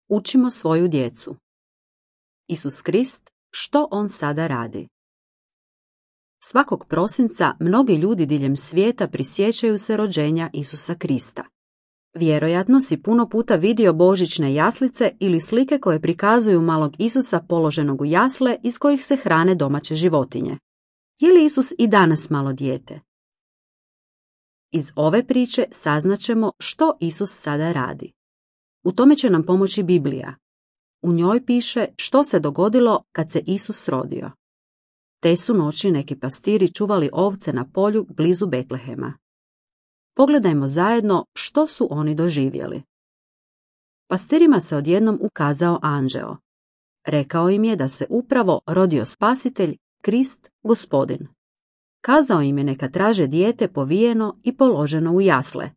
Učimo svoju djecu. Isus Krist, što on sada radi? Svakog prosinca mnogi ljudi diljem svijeta prisjećaju se rođenja Isusa Krista. Vjerojatno si puno puta vidio božićne jaslice ili slike koje prikazuju malog Isusa položenog u jasle iz kojih se hrane domaće životinje. Je li Isus i danas malo dijete? Iz ove priče saznaćemo što Isus sada radi. U tome će nam pomoći Biblija. U njoj piše što se dogodilo kad se Isus rodio. Te su noći neki pastiri čuvali ovce na polju blizu Betlehema. Pogledajmo zajedno što su oni doživjeli. Pastirima se odjednom ukazao anđeo. Rekao im je da se upravo rodio spasitelj, Krist, Gospodin. Kazao im je neka traže dijete povijeno i položeno u jasle.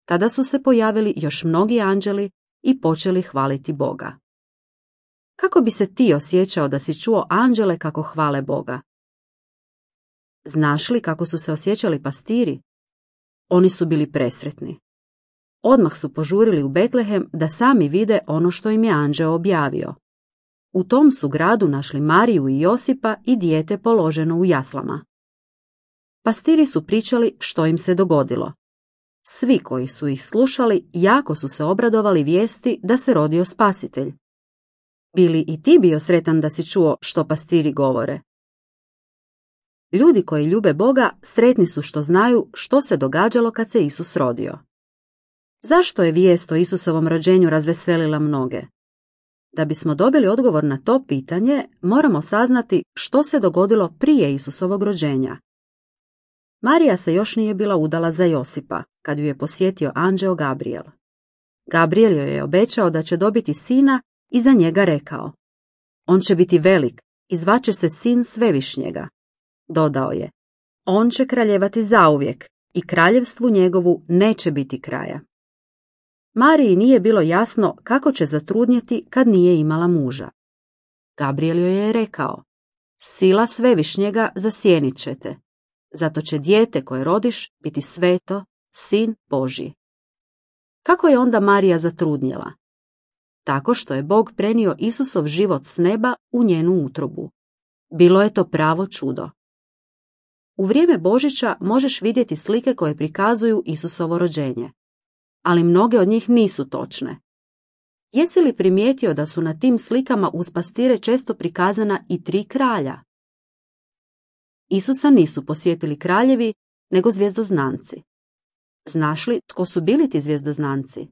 Tada su se pojavili još mnogi anđeli i počeli hvaliti Boga. Kako bi se ti osjećao da si čuo anđele kako hvale Boga? Znaš li kako su se osjećali pastiri? Oni su bili presretni. Odmah su požurili u Betlehem da sami vide ono što im je anđeo objavio. U tom su gradu našli Mariju i Josipa i dijete položeno u jaslama. Pastiri su pričali što im se dogodilo. Svi koji su ih slušali jako su se obradovali vijesti da se rodio spasitelj. Bili i ti bio sretan da si čuo što pastiri govore? Ljudi koji ljube Boga sretni su što znaju što se događalo kad se Isus rodio. Zašto je vijest o Isusovom rođenju razveselila mnoge? Da bismo dobili odgovor na to pitanje, moramo saznati što se dogodilo prije Isusovog rođenja. Marija se još nije bila udala za Josipa, kad ju je posjetio anđeo Gabriel. Gabriel joj je obećao da će dobiti sina i za njega rekao: on će biti velik i zvaće se Sin Svevišnjega. Dodao je: on će kraljevati zauvijek i kraljevstvu njegovu neće biti kraja. Mariji nije bilo jasno kako će zatrudnjeti kad nije imala muža. Gabriel joj je rekao: sila Svevišnjega zasjenit će te, zato će dijete koje rodiš biti sveto, Sin Božji. Kako je onda Marija zatrudnjela? Tako što je Bog prenio Isusov život s neba u njenu utrobu. Bilo je to pravo čudo. U vrijeme Božića možeš vidjeti slike koje prikazuju Isusovo rođenje, ali mnoge od njih nisu točne. Jesi li primijetio da su na tim slikama uz pastire često prikazana i 3 kralja? Isusa nisu posjetili kraljevi, nego zvjezdoznanci. Znaš li tko su bili ti zvjezdoznanci?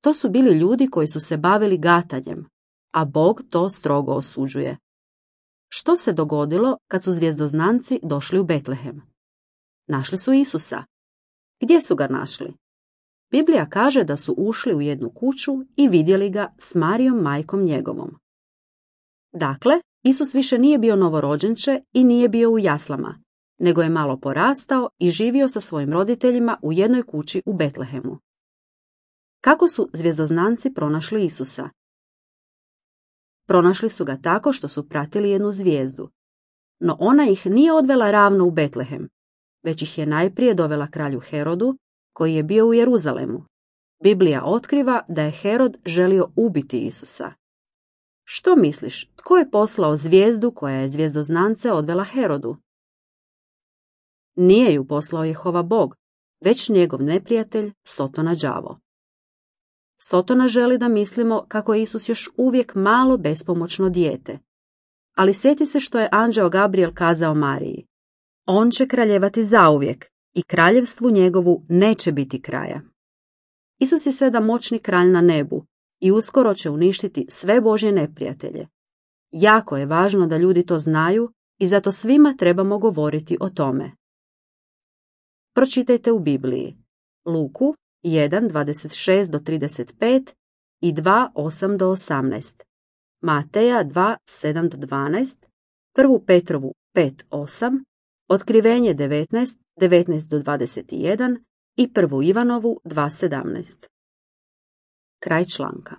To su bili ljudi koji su se bavili gatanjem, a Bog to strogo osuđuje. Što se dogodilo kad su zvjezdoznanci došli u Betlehem? Našli su Isusa. Gdje su ga našli? Biblija kaže da su ušli u jednu kuću i vidjeli ga s Marijom majkom njegovom. Dakle, Isus više nije bio novorođenče i nije bio u jaslama, nego je malo porastao i živio sa svojim roditeljima u jednoj kući u Betlehemu. Kako su zvjezdoznanci pronašli Isusa? Pronašli su ga tako što su pratili jednu zvijezdu. No ona ih nije odvela ravno u Betlehem, već ih je najprije dovela kralju Herodu, koji je bio u Jeruzalemu. Biblija otkriva da je Herod želio ubiti Isusa. Što misliš, tko je poslao zvijezdu koja je zvjezdoznance odvela Herodu? Nije ju poslao Jehova Bog, već njegov neprijatelj Sotona đavo. Sotona želi da mislimo kako je Isus još uvijek malo bespomoćno dijete. Ali sjeti se što je anđeo Gabriel kazao Mariji: on će kraljevati zauvijek i kraljevstvu njegovu neće biti kraja. Isus je sada moćni kralj na nebu i uskoro će uništiti sve Božje neprijatelje. Jako je važno da ljudi to znaju i zato svima trebamo govoriti o tome. Pročitajte u Bibliji Luku 1:26-35 i 2:8-18, Mateja 2:7-12, 1. Petrovu 5:8, Otkrivenje 19:19-21 i 1. Ivanovu 2:17. Kraj članka.